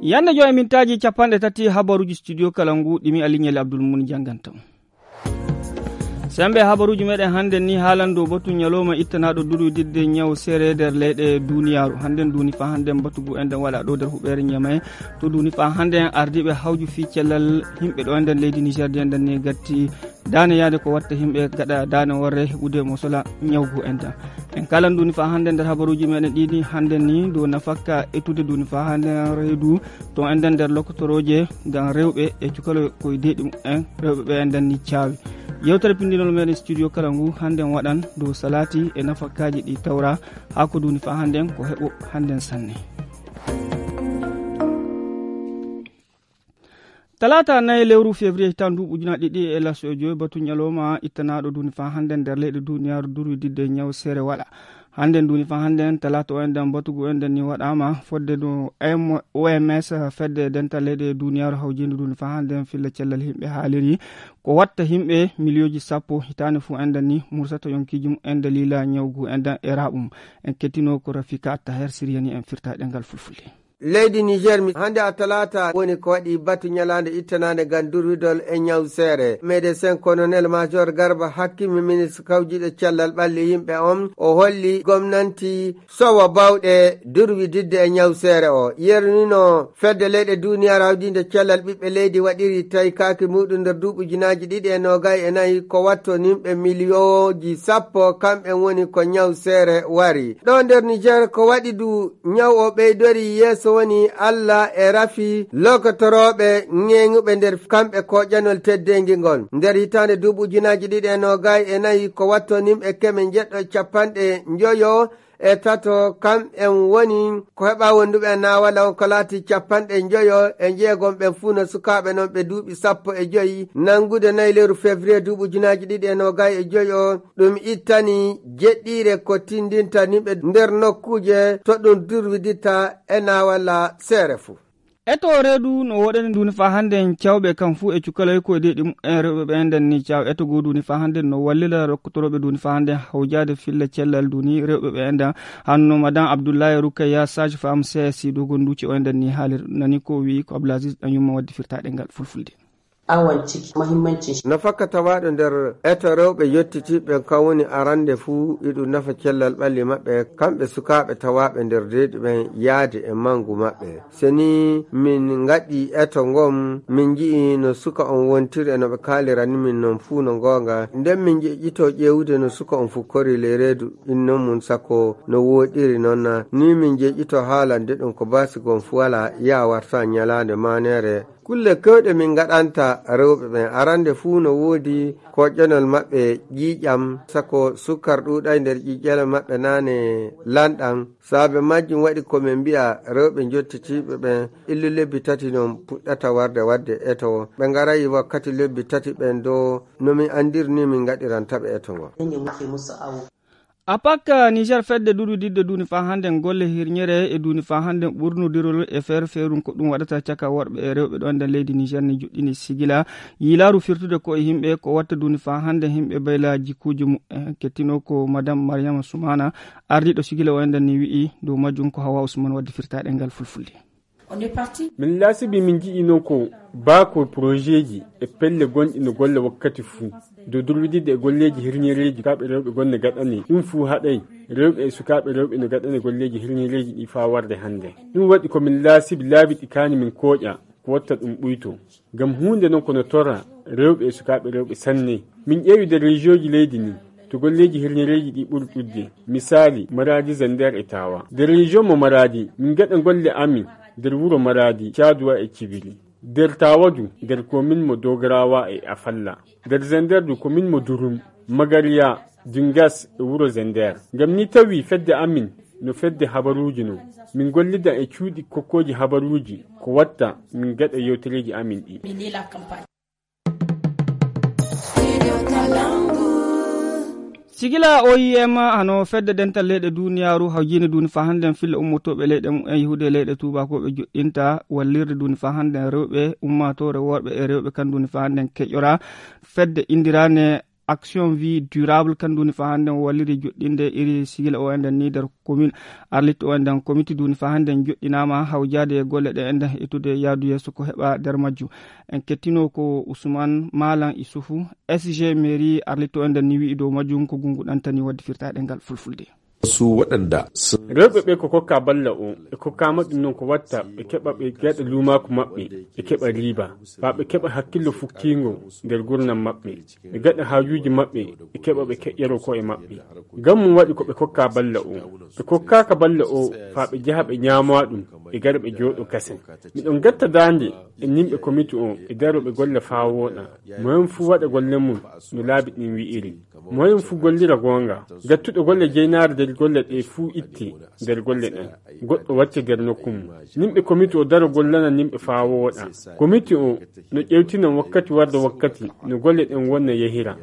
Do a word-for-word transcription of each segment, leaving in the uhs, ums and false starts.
Yande joy mintaaji capanɗe tati habaruuji studio kala ngu ɗimi Aliñel Abdul Mun jannganta on. Sembe habaruuji meɗen hannde ni haalan dow batu ñalawma ittanaaɗo durwididde ñaw seere nder leyɗe duniyaaru. Hannde duuni fa hannde batu ngu enden waɗa ɗo nder huɓeere Ñamay. To duuni fa hannde ardiiɓe hawju fii cellal yimɓe ɗo enden leydi Niger di enden ni gatti daane yaade ko watta yimɓe gaɗa daane worre heɓude mo sola ñaw ngu enden. En kalan duuni fa hannde nder habaruuji meɗen ɗiɗi hannde ni dow nafakka etude duuni fa hannde reedu to enden nder lokotorooje ngam rewɓe e cukaloy koye deeɗi mumen rewɓe ɓe enden ni caawi. Yewtere pindinol meɗen studio kala ngu hannde waɗan dow salaati e nafakkaji ɗi tawra haa ko duuni fa hannde ko heɓo hannde sanne. Talaata nayi lewru février hitan duuɓi ujunaaji ɗiɗi e laso e joyi batu ñalawma ittanaaɗo duuni fa hannde nder leyɗe duniyaaru durwididde ñaw seere waɗa. Hannde duuni fa hannde talaata o enden batu ngu enden ni waɗaama fodde no M-, O M S fedde dental leyɗe duniyaaru hawjinde duuni fa hannde filla cellal yimɓe haaliri ko watta yimɓe miliyooji sappo hitaande fu enden ni mursata yonkiiji mum en daliila ñaw ngu enden e raɓum. En kettino ko Rafika Taher Siriyani en firta ɗengal fulfulde. Leydi Niger mi hannde a talaata woni ko waɗi batu ñalaande ittanaande ngam durwidol e ñaw seere. Médecin colonel major Garba Hakkimi ministre kawjiɗo cellal ɓalli yimɓe on o holli gomnanti sowa bawɗe durwididde e ñaw seere o. Yernino fedde leyɗe duniyaaru hawjinde cellal ɓiɓɓe leydi waɗiri tawi kaaki muɗum nder duuɓi ujunaaji ɗiɗi e noogay e nayi ko watto nimɓe miliyooji sappo kamɓe woni ko ñaw seere wari. Ɗo nder Niger ko waɗi du ñaw o ɓeydori yeeso woni Alla e rafi lokotorooɓe ñeeŋuɓe nder kamɓe koƴanol teddeengi ngol. Nder hitaande duuɓi ujunaaji ɗiɗi e noogay e nayi ko watto nimɓe keme njeɗɗo e capanɗe njoyo e tato kam en woni ko heɓa wonduɓe e naawala on ko laati capanɗe njoyo e jeegom ɓen fuu no sukaaɓe non ɓe duuɓi sappo e joyi nanngude nayi lewru février duuɓi ujunaaji ɗiɗi e noogay e joyi o. Ɗum ittani jeɗɗiire ko tindinta nimɓe nder nokkuuje to ɗum durwiditta e naawala seere fuu. Eto reedu no woɗani duuni faa hannde en cawɓe kam fuu e cukaloy ko e deeɗi mumen rewɓe ɓe enden ni caw eto goo duuni faa hannde no wallira rokkotorooɓe duuni faa hannde hawjaade filla cellal duuni rewɓe ɓe enden. Hanno madame Abdoulaye Roukaya sage femme C S I dogon duuci o enden ni haalir nani ko wi ko Abdoulaziz ɗan yumma wadde firtaɗe ngal fulfulde. Awan ciki muhimmancin shi. Nafaka tawaaɗo nder eto rewɓe yottitiiɓe kan woni arande fuu iɗum nafa cellal ɓalli maɓɓe kamɓe sukaaɓe tawaaɓe nder deeɗi ɓen yaade e mangu maɓɓe. Se ni min ngaɗi eto ngon min nji'i no suka on wontiri e no ɓe kaalirani min non fuu no goonga nden min njeƴƴito ƴeewude no suka on fukkori ley reedu innon mun sako no wooɗiri non na ni min njeƴƴito haalande ɗum ko baasi gon fuu alaa yaa warta ñalaande maaneere. Kulle kewɗe min ngaɗanta rewɓe ɓen arande fuu no woodi koƴƴanol maɓɓe ƴiiƴam sako sukkar ɗuuɗay nder ƴiiƴanol maɓɓe naane lanɗan. Saabe majjum waɗi ko min mbi'a rewɓe njottitiiɓe ɓen illu lebbi tati non puɗɗata warde wadde eto ɓe ngarayi wakkati lebbi tati ɓen do no min andirni min ngaɗirantaɓe eto ngon. Apak Niger fedde durwididde duuni faa hannde golle hirñere e duuni faa hannde ɓurnudirol e feere feerum ko ɗum waɗata caka worɓe e rewɓe ɗo nder leydi Niger ne juɗɗini sigila yiilaaru firtude ko e yimɓe ko watta duuni faa hannde yimɓe bayla jikkuuji mumen kettino ko madame Mariama Soumana ardiiɗo sigila o enden ni wi'i dow majjum ko Hawa Ousmane wadde firtaɗe ngal fulfulde. Min laasibi min nji'ino ko baako porojeeji e pelle gonɗi no golle wakkati fuu dow durwididde e golleeji hirñereeji sukaaɓe rewɓe gonne gaɗani ɗum fuu haɗay rewɓe e sukaaɓe rewɓe no gaɗani golleeji hirñereeji ɗi faa warde hannde. Ɗum waɗi ko min laasibi laabi ɗi kaani min kooƴa ko watta ɗum ɓuyto. Ngam huunde non ko no torra rewɓe e sukaaɓe rewɓe sanne. Min ƴeewi nder rejiyoji leydi ndin to golleeji hirñereeji ɗi ɓuri ɗuuɗde. Misaali, Maraadi, Zender e Taawa. Nder rejiyon mo Maraadi, min ngaɗa golle amin nder wuro Maraadi, Caaduwa e Cibiri. Nder Taawa du, nder komin mo Dogarawa e Afalla. Nder Zender du, komin mo Durum, Magariya, Dingas e wuro Zender. Ngam ni tawi fedde amin no fedde habaruuji non. Min gollida e cuuɗi kokkooji habaruuji ko watta min ngaɗa yewtereeji amin ɗi. Sigila O I M hano fedde dental leyɗe duniyaaru hawjini duuni faa hannden filla ummotooɓe leyɗe mumen yahude leyɗe tuubakooɓe joɗɗinta wallirde duuni faa hannden rewɓe ummaatoore worɓe e rewɓe kan duuni faa hannden keƴora fedde indiraane Action Vie Durable, kan duni fa hannden walliri joɗɗinde iri sigila o enden ni nder commune Arlit o enden. Komiti duni fa hannden joɗɗinaama hawjaade e golle ɗe enden e tude yaadu yeeso ko heɓa nder majju. En kettino ko Ousmane Malan Issoufou, S G mairie Arlit o enden ni wi'i dow majjum ko gungu ɗantani wadde firtaɗe ngal fulfulde. Su waɗanda sun. Rewɓe ɓe ko kokka balla o, ɓe kokkaama ɗum non ko watta ɓe keɓa ɓe gaɗa luumaaku maɓɓe, ɓe keɓa riiba, faa ɓe keɓa hakkillo fukkiingo nder gurnam maɓɓe, ɓe gaɗa haajuuji maɓɓe, ɓe keɓa ɓe keƴƴaro ko'e maɓɓe. Ngam mum waɗi ko ɓe kokka balla o. Ɓe kokkaaka balla o faa ɓe jaha ɓe ñaamaa ɗum, ɓe gara ɓe jooɗo kasen. Miɗon gatta daande e nimɓe komiti o, ɓe daro ɓe golla faa wooɗa. Moyen fuu waɗa golle mum no laabi ɗin wi'iri. Moyen fuu gollira goonga. Gattuɗo golle jeynaare nder golle ɗe fuu itte nder golle ɗen. Goɗɗo wacce nder nokku mum. Nimɓe komiti o daro gollana nimɓe faa wooɗa. Komiti o no ƴewtina wakkati warda wakkati no golle ɗen wonna yehira.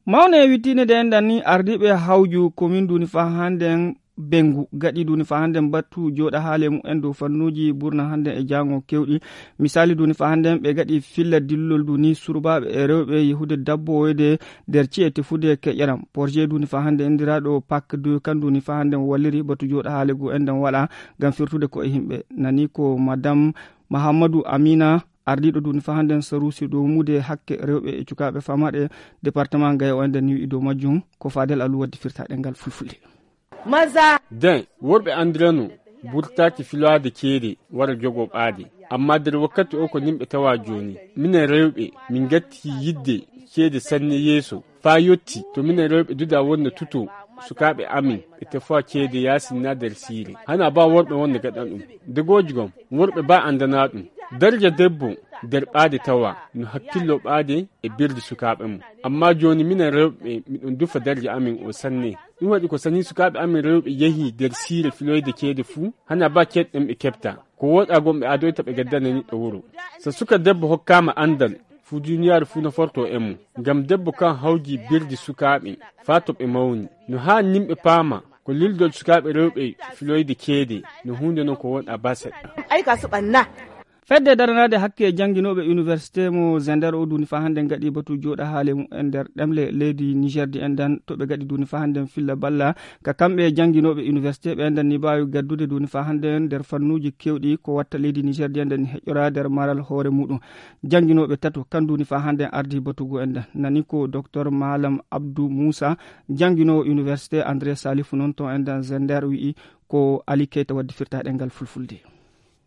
Mawne e wittiinde nde enɗan ni, ardiiɓe hawju komin duni faa hannden Bengu gaɗi duni faa hannden battu jooɗa haale mumen dow fannuuji burna hannden e jaango kewɗi. Misaali duni faa hannden ɓe gaɗi filla dillol duni surbaaɓe e rewɓe yehude dabbowoyde nder ci'e tefude keƴeram. Porje duni faa hannden inndiraaɗo Pak deux kan duni faa hannden walliri batu jooɗa haale gu enɗan waɗa ngam firtude ko e yimɓe. Nani ko Madam Mahammadu Amina, ardiiɗo duni faa hannden saruusi dow muude hakke rewɓe e cukaaɓe famaaɗe departement Gaya o enɗan ni wi'i dow majjum ko Fadel Alu waddi firtaɗe ngal fulfulde. Den, worɓe anndirano burtaaki filaade ceede wara jogoo ɓaade. Amma nder wakkati o ko nimɓe tawa jooni. Minen rewɓe, min gatti yidde ceede sanne yeeso. Faa yotti, to minen rewɓe duda wonna tuto sukaaɓe amin, ɓe tefa ceede yaasin naa nder siire. Hana ba worɓe wonna gaɗan ɗum. Degooji gom, worɓe ba anndana ɗum. Darja debbo nder ɓaade tawa, no hakkillo ɓaade e birdi sukaaɓe mum. Amma jooni minen rewɓe, miɗon dufa darja amin o sanne. Ɗum waɗi ko sani sukaaɓe amin rewɓe yehi nder siire filoyde ceede fuu, hana ba ceeɗɗen ɓe keɓta. Ko wooɗa gom ɓe adoyta ɓe gaddana niɗɗo wuro. So suka debbo hokkaama anndal, fuu duniyaaru fuu naforto e mum. Ngam debbo kan hawji birdi sukaaɓe, faa to ɓe mawni. No haa nimɓe paama, ko lildol sukaaɓe rewɓe filoyde ceede, no huunde non ko wonɗa ba seɗɗa. Ay ka suɓanna. Fedde daranaade hakke jannginooɓe université mo Zender o duni faa hannde ngaɗi batu jooɗa haale mumen nder ɗemle leydi Niger di enɗan to ɓe ngaɗi duni faa hannde filla balla ka kamɓe jannginooɓe université ɓe enɗan ni mbaawi gaddude duni faa hannde nder fannuuji keewɗi ko watta leydi Niger di enɗan ni heƴƴora nder maral hoore muɗum. Jannginooɓe tato kan duni faa hannde ardi batugu enɗan nani ko Docteur Malam Abdou Moussa, jannginoowo université André Salifou non to enɗan Zender wi'i ko Ali Keita waddi firtaɗe ngal fulfulde.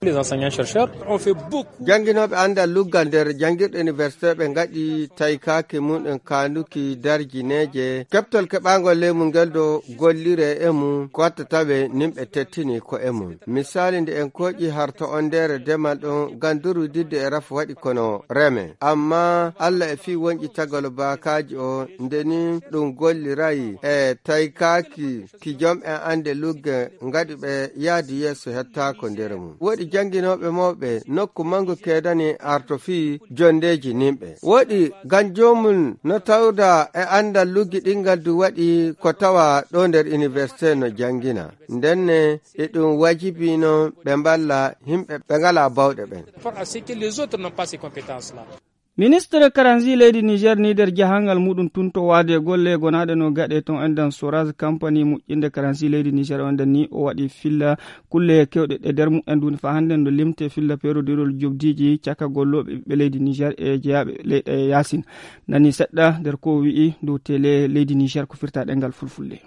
Les enseignants-chercheurs ont fait beaucoup. Jannginooɓe anndal luggal nder janngirɗe université ɓe ngaɗi taykaaki mum en kaanuki darjineeje. Keɓtol keɓaangol leymu ngel ɗo gollire e mum ko watta tawe nimɓe tettini ko e mum. Misaali nde en kooƴi harto on nder demal ɗon ganduru didde e rafu waɗi kono reme. Amma Allah e fii wonƴitagol baakaaji o nde ni ɗum golliray e taykaaki ki jom en annde lugge ngaɗi ɓe yaadi yeeso hettaako nder mum. Woɗi jannginooɓe mawɓe nokku manngu keedani arto fii jonndeeji nimɓe. Woɗi ngam joomum no tawda e anndal luggi ɗingal du waɗi ko tawa ɗo nder université no janngina. Ndenne e ɗum wajibi no ɓe mballa yimɓe ɓe ngalaa bawɗe ɓen. Par à ce que les autres n'ont pas ces compétences-là. Ministre karansi leydi Niger ni nder jahangal muɗum tun to waade golle gonaaɗe no gaɗe ton enɗan Soraz kampani moƴƴinde karansi leydi Niger o enɗan ni o waɗi filla kulle kewɗe ɗe nder mumen duni faa hannde no limte filla perodirol jobdiiji caka gollooɓe ɓiɓɓe leydi Niger e jeyaaɓe leyɗe yaasin. Nani seɗɗa nder ko o wi'i dow tele leydi Niger ko firta ɗemngal fulfulde.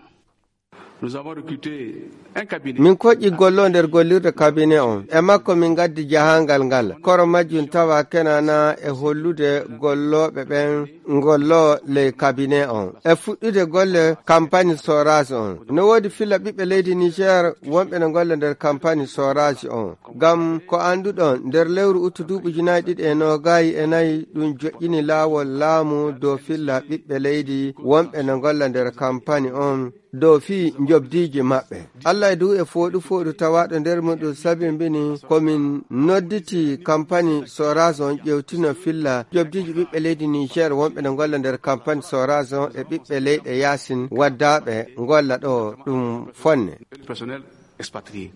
Nous avons recruté un cabinet. Min koƴƴi gollo nder gollirde cabinet on. E makko min ngaddi jahangal ngal. Koro majjum tawa kenana e hollude gollooɓe ɓen ngollo ley cabinet on. E fuɗɗude golle campagne Soraz on. No woodi filla ɓiɓɓe leydi Niger wonɓe no ngolla nder campagne Soraz on. Ngam ko annduɗon, nder lewru uttu duuɓi ujunaaji ɗiɗi e noogaayi e nayi, ɗum joƴƴini laawol laamu dow filla ɓiɓɓe leydi wonɓe no ngolla nder campagne on. Dow fii njobdiiji maɓɓe. Allah e dow e fooɗu fooɗu tawaaɗo nder muɗum sabimbini ko min nodditi kampani Soraz on ƴewtino filla njobdiiji ɓiɓɓe leydi Niger wonɓe no ngolla nder kampani Soraz on e ɓiɓɓe leyɗe yaasin waddaaɓe ngolla ɗo ɗum fonne. Personnel expatrié.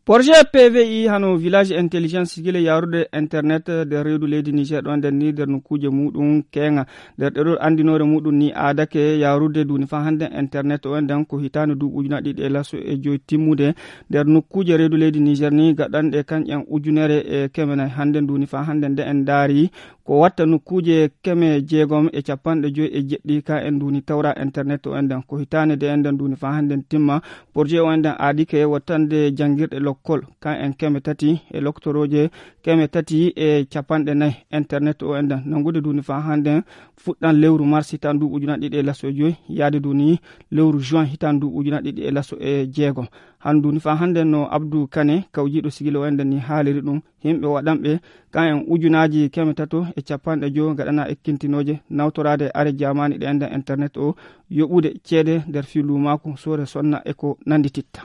Projet P V I hano village intelligence sigile yaarude internet nder reedu leydi Niger ɗo nden ni nder nokkuuje muɗum keŋa. Nder ɗeɗol anndinoore muɗum ni aadake yaarude duni faa hannde internet o nden ko hitaande duuɓi ujunaaji ɗiɗi e laso e joy timmude nder nokkuuje reedu leydi Niger ni gaɗanɗe kanƴen ujunere e keme nay hannde duni faa hannde nde en ndaari ko watta nokkuuje keme jeegom e capanɗe joy e jeɗɗi ka en duni tawra internet o nden ko hitaande nde en nden duni faa hannde timma. Projet o nden aadi ke wattande janngirɗe lokkol ka en keme tati e loktorooje keme tati e capanɗe nay internet o nden nanngude duni faa hannde fuɗɗan lewru mars hitan duuɓi ujunaaji ɗiɗi e laso joy yaade duni lewru juin hitan duuɓi ujunaaji ɗiɗi e laso e jeegom. Handu ni faa hannde no Abdou Kane kawjiiɗo sigilo o nden ni haaliri ɗum. Yimɓe waɗanɓe ka en ujunaaji keme tato e capanɗe joy gaɗana ekkintinooje nawtoraade are jamaani ɗe nden internet o yoɓude ceede nder fii luumaaku soore sonna e ko nanndititta.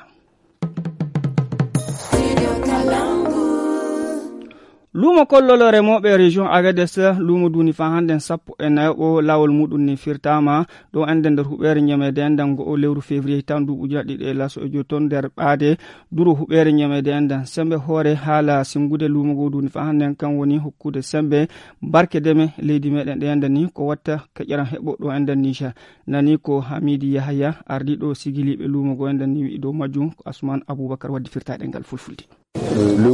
Luumo kollol remooɓe région Agadez luumo duni faa hannde sappo e nayoɓo laawol muɗum ni firtaama ɗo enden nder huɓeere ñameede enden ngo o lewru février tan duuɓi ujunaaji ɗiɗi e laso e joy ton nder ɓaade duro huɓeere ñameede enden sembe hoore haala singude luumo ngo duni faa hannde kan woni hokkude sembe barke deme leydi meɗen ɗe enden ni ko watta keƴaran heɓo ɗo enden Niger. Nani ko Hamidi Yahaya ardiɗo sigiliɓe luumo ngo enden ni wi'i dow majjum ko Asman Abubakar waddi firtaɗe ngal fulfulde.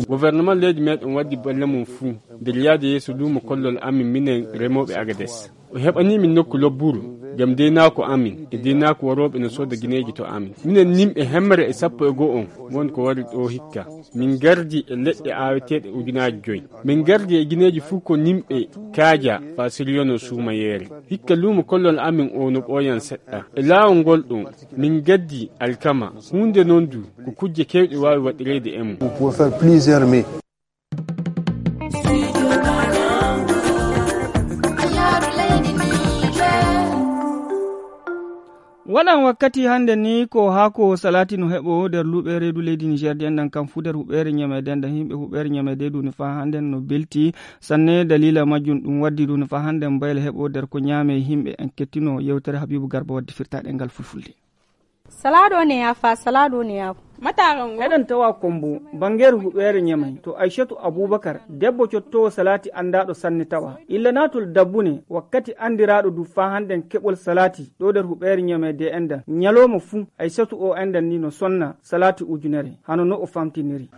Gouvernement leydi meɗen waddi balle mum fuu nder yaade yeeso luumo kollol amin minen remooɓe Agades. O heɓanii min nokku lobburu ngam deynaako amin e deynaako warooɓe no sooda gineeji to amin. Minen nimɓe hemre e sappo e go'o on won ko wari ɗo hikka. Min ngardi e leɗɗe aaweteeɗe ujunaaji joy. Min ngardi e gineeji fuu ko nimɓe kaaja faa siryono suumayeere. Hikka luumo kollol amin o no ɓooyan seɗɗa. E laawol ngol ɗon, min ngaddi alkama. Huunde non du ko kujje keewɗe waawi waɗireede e mum. Vous pouvez faire plusieurs mets. Waɗan wakkati hannde ni ko haako salati no heɓo nder luuɓe reedu leydi Niger ɗi enɗan kam fuu nder huɓeere ñameede enɗan yimɓe huɓeere ñameede duni faa hannde no belti sanne dalila majjum ɗum waddi duni faa hannde mbayla heɓo nder ko ñaame yimɓe en kettino yewtere Habibu Garba waddi firtaɗe ngal fulfulde. Salado ne ya fa salado ne ya. Mataran wo eɗen tawa kombo bangeeru huɓeere ñamay to Aishatu Abubakar debbo cottowo salati anndaaɗo sanne tawa illa naatol dabbune wakkati anndiraɗo du faa hannden keɓol salati ɗo nder huɓeere ñamay de enɗan ñalooma fuu Aishatu o enɗan ni no sonna salati ujunere hano no o famtiniri.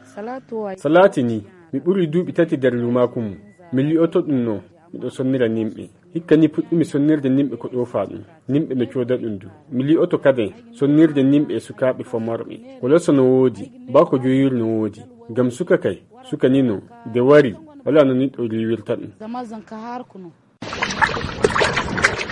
Salati ni mi ɓuri duuɓi tati nder lumaaku mum mi li'oto ɗum no miɗo sonnira nimɓe. Hikka ni puɗɗumi sonnirde nimɓe ko ɗoofaa ɗum. Nimɓe no cooda ɗum du. Mi li'oto kaden sonnirde nimɓe e sukaaɓe fomorɓe. Ko leso no woodi, baa ko joyir no woodi. Ngam suka kay, suka ni no, nde wari, walaa no niɗɗo riiwirta ɗum.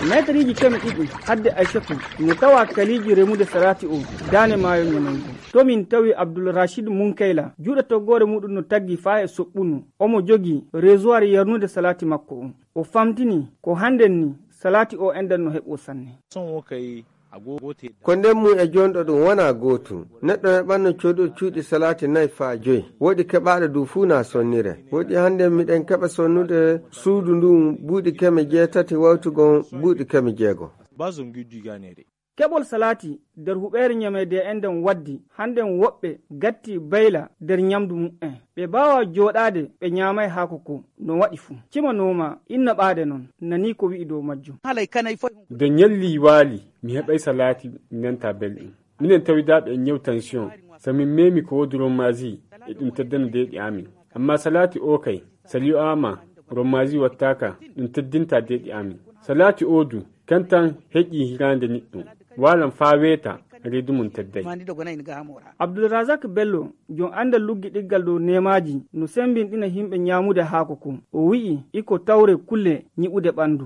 Meetariji keme ɗiɗi hadde Aishatu no tawa kaliiji remude salati o daane maayo ñamaygo. To min tawi Abdul Rashid Munkayla juuɗe toggoore muɗum no taggi faa e soɓɓunu. Omo jogi resoir yarnude salati makko o. O famtini ko hannden ni salati o enɗan no heɓo sanne. Ko nden mum e jonɗo ɗum wonaa gootum. Neɗɗo heɓanno coodo cuuɗi salati nay faa joy. Woɗi keɓaaɗo du fuu na sonnire. Woɗi hannden miɗen keɓa sonnude suudu ndun buuɗi keme jeetati wawtugon buuɗi keme jeego. Keɓol salati nder huɓeere ñameede enɗan waddi hannden woɓɓe gatti bayla nder ñamdu mu'en. Ɓe baawa jooɗaade ɓe ñaamay haako ko no waɗi fuu. Cima nooma inna ɓaade non nani ko wi'i dow majjum. Nde ñalli waali mi heɓay salati mi nanta belɗum. Minen tawidaaɓe e ñaw tension so min meemi ko woodi rommazi e ɗum teddana deeɗi amin. Amma salati o kay so li'aama rommazi wattaaka ɗum teddinta deeɗi amin. Salati o du kan tan heƴi hiraande niɗɗo waalan faa weeta reedu mum tedday. Abdulrazak Bello jom anndal luggiɗiggal dow neemaaji no semmbinɗina yimɓe ñaamude haako ko o wi'i iko tawre kulle ñiɓude ɓanndu.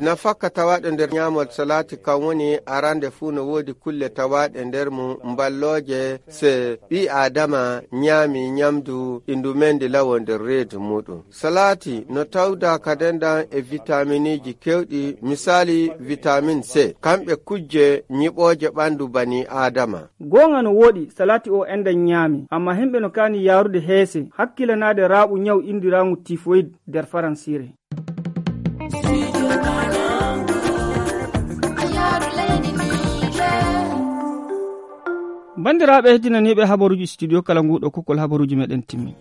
Nafakka tawaaɗo nder ñaamol salati kan woni arande fuu no woodi kulle tawaaɗe nder mum mballooje se ɓii aadama ñaami ñamdu ɗi ndu mendi lawo nder reedu muɗum. Salati no tawda kadendan e vitaminiji kewɗi misali vitamin c kamɓe kujje ñiɓooje ɓandu bani aadama. Goonga no wooɗi salati o enɗan ñaami amma himɓe no kaani yaarude heese hakkilanaade raaɓu ñaw indiraaŋu tifoyid nder faransiire. Anndiraaɓe heddinaniiɓe habaruuji studio kala nguuɗo kukkol habaruuji meɗen timmi.